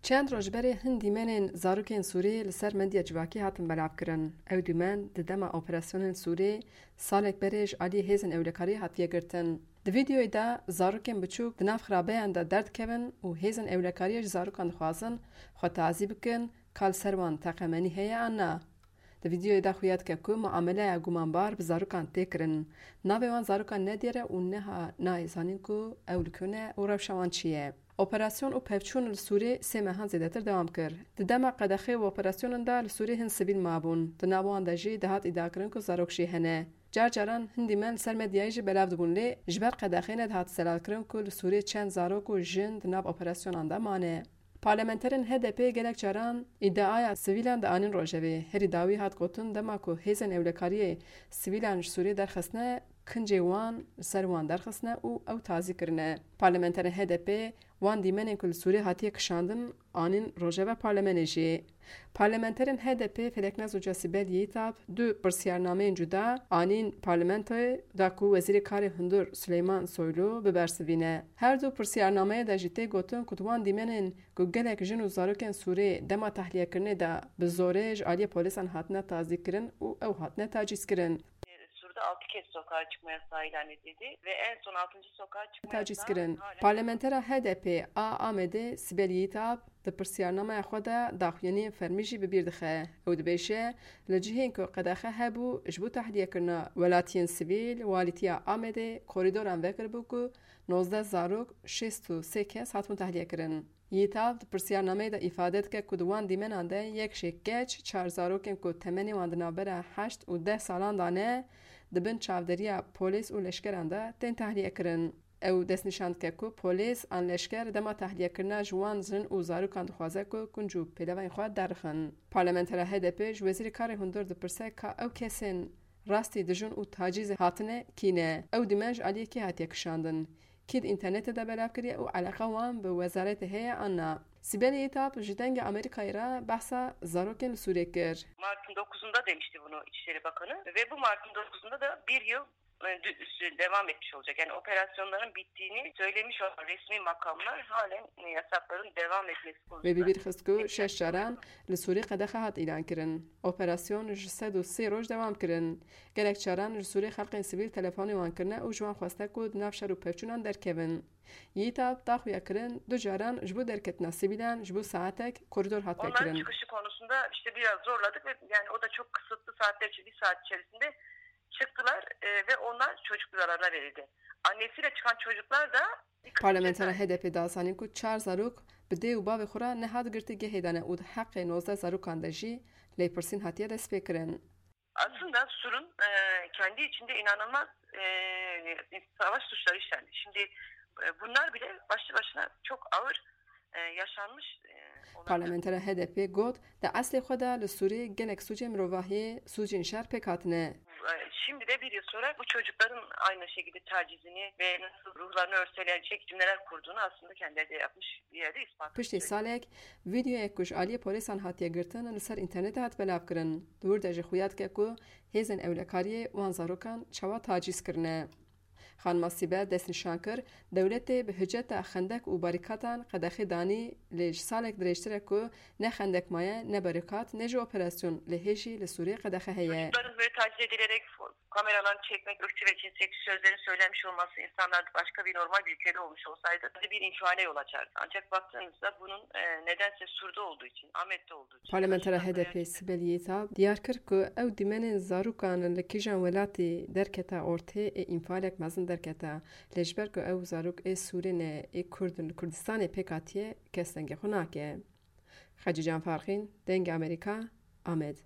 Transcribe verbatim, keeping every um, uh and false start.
Çend roj berê hin dîmenên zarokên Sûrî li ser medya civakî hatin belavkirin. Ew dîmen di dema operasyonên Sûrî salek berê ji aliyê hêzên ewlekariyê hatiye girtin. Di vîdeoyê de zarokên biçûk di nav xirabeyan de derdikevin û hêzên ewlekariyê ji zarokan dixwazin xwe tazî bikin ka li ser wan teqemenî heye an na. Di vîdeoyê de xuya dike ku muameleya gumanbar bi zarokan tê kirin. Navê wan zarokan nediyar e û niha nayê zanîn ku ew li ku ne û rewşa wan çi ye. Operasyon û pevçûn li Sûrê sê mehan zêdetir dewam kir. Di dema qedexê û operasyonan de li Sûrê hin sivîl mabûn. Di nav wan de jî dihat îdiakirin ku zarok jî hene. Car caran hin dîmen li ser medyayê jî belav dibûn lê ji ber qedexê nedihat zelalkirin ku li Sûrê çend zarok û jin di nav operasyonan de mane. Parlamenterên H D P gelek caran îdiaya sivîlan dianîn rojevê. Herî dawî hat gotin dema ku hêzên ewlekariyê sivîlan ji Sûriyê derxistine, kincê wan li ser wan derxistine û ew tazî kirine. Parlamenterên H D P wan dîmenên ku li Sûriyê hatiye kişandin anîn rojeva parlamenê jî. Parlamenterên H D P Feleknaz Hoca Sibel Yiğitap du pirsiyarnameyên cuda anîn parlamentoyê da ku Wezîrê Karê Hundir Suleyman Soylu bibersivîne. Her du pirsiyarnameyê de jî tê gotin ku di wan dîmenên ku gelek jin û zarokên Sûrê dema tehliyekirinê de bi zorê ji aliyê polîsan hatine tazîkirin û ew hatine tacîzkirin. Sur'da altı kez sokağa çıkma yasağı ilan edildi ve en son altıncı sokağa çıkma yasağı Tacîzkirin. Halen Parlamentera H D P a Amedê Sibel Yiğitap di pirsiyarnameya xwe de daxuyaniyên fermî jî bi bîr dixe. Ew dibêje, li cihên ku qedexe hebû ji bo tehliyekirina welatiyên sivîl, walîtiya Amedê korîdoran vekiribû ku nozdeh zarok, şêst û sê kes hatibûn tehliyekirin. Yiğitap di pirsiyarnameyê de îfade dike ku di wan dîmenan de yek jê keç, çar zarokên ku temenê wan di navbera heşt û deh salan de ne, di bin çavderiya polîs û leşkeran de tên tehliyekirin. Ew destnîşan dike ku polîs an leşker dema tehliyekirina ji wan jin û zarokan dixwaze ku kunc û pêlevayên xwe derixin. Parlamentera H D P ji Wezîrê Karê Hundir dipirse ka ew kesên rastî dijûn û tacîzê hatine kî ne? Ew dîmen ji aliyê kê hatiye kişandin? Kî di înternetê de belav kiriye û eleqa wan bi wezaretê heye an na? Sibel Yiğitap ji Dengê Amerîkayê re behsa zarokên li Sûrê kir. Mart'ın dokuzunda demişti bunu İçişleri Bakanı ve bu Mart'ın dokuzunda da bir yıl e, dü- üstü devam etmiş olacak. Yani operasyonların bittiğini söylemiş olan resmi makamlar halen e, yasakların devam etmesi Wê bi konusunda bîr xist ku şeş caran li Sûrê qedexe hat îlan kirin. Operasyon ji sed û sê roj dewam kirin. Gelek caran ji Sûrê xelqên sivîl telefonê wan kirine û ji wan xweste ku di nav şer û pevçûnan derkevin. Yiğitap da xuya kirin, du caran ji bo derketina sivîlan ji bo saetek korîdor hat Onların vekirin. Çıkışı konusunda işte biraz zorladık ve yani o da çok kısıtlı saatlerce, bir saat içerisinde çıktılar e, ve onlar çocuk kucaklarına verildi. Annesiyle çıkan çocuklar da bir kız Parlamentera içinde H D P da zanîn ku çar zarok bi dê û bavê xwe re nehat girtî gehê de ne û di heqê nozdeh zarokan de jî lêpirsîn hatiye destpêkirin. Aslında Sur'un e, kendi içinde inanılmaz e, savaş suçları işlendi. Şimdi e, bunlar bile başlı başına çok ağır e, yaşanmış e, olaylar. Parlamentera H D P got, di eslê xwe de li Sûrê gelek sûcên mirovahiyê, sûcên şer pêk hatine. E, Şimdi de bir yıl sonra bu çocukların aynı şekilde tacizini ve nasıl ruhlarını örselenecek cümleler kurduğunu aslında kendileri de yapmış bir yerde ispat Piştî salek, vîdeoyek ku ji aliyê polîsan hatiye girtin li ser înternetê hat belavkirin. Di wir de jî xuya dike ku hêzên ewlekariyê wan zarokan çawa tacîz kirine. Xanima Sîbe destnîşan kir, dewletê bi hiceta xendek û barîkatan qedexê danî, lê ji salek dirêjtir e ku ne xendek maye, ne barîkat, ne jî operasyon, lê hê jî li Sûriyê qedexe heye. Çocukların böyle taciz edilerek kameralarını çekmek, ırkçı ve cinsiyetçi sözlerin söylenmiş olması insanlar başka bir normal bir ülkede olmuş olsaydı bir infiale yol açardı. Ancak baktığınızda bunun e, nedense Sur'da olduğu için, Ahmet'te olduğu için, Parlamentera H D P Sibel Yiğitap diyar kir ku ew dîmenên zarokan li kîjan welatî derkete ortê ê înfalek mezin derkete, lê ji ber ku ew zarok ê Sûrê ne, ê Kurd in, li Kurdistanê pêk hatiye, kes dengê xwe nake. Xecîcan Farqîn, Dengê Amerîka, Amed.